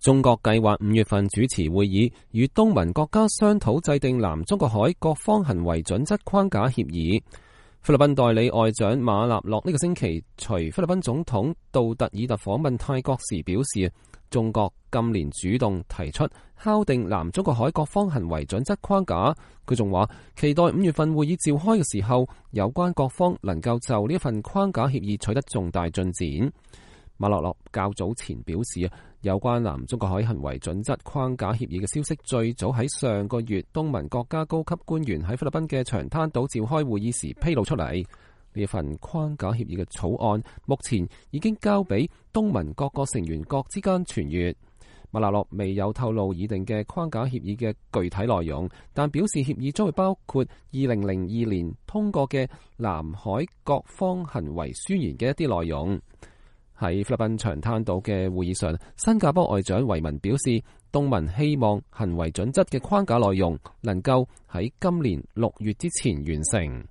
中國計劃5月份主持會議，與東盟國家商討制定南中國海各方行為準則框架協議。菲律賓代理外長馬納洛呢個星期隨菲律賓總統杜特爾特訪問泰國時表示，中國今年主動提出敲定南中國海各方行為準則框架。佢仲話期待5月份會議召開嘅時候，有關各方能夠就呢一份框架協議取得重大進展。馬納洛較早前表示，有關南中國海行為準則框架協議嘅消息最早喺上個月東盟國家高級官員喺菲律賓嘅長灘島召開會議時披露出嚟。呢一份框架協議嘅草案目前已經交俾東盟各個成員國之間傳閱。馬納洛未有透露擬定嘅框架協議嘅具體內容，但表示協議將會包括2002年通過嘅南海各方行為宣言嘅一啲內容。喺菲律賓長灘島嘅會議上，新加坡外長維文表示，東盟希望行為準則嘅框架內容能夠喺今年6月之前完成。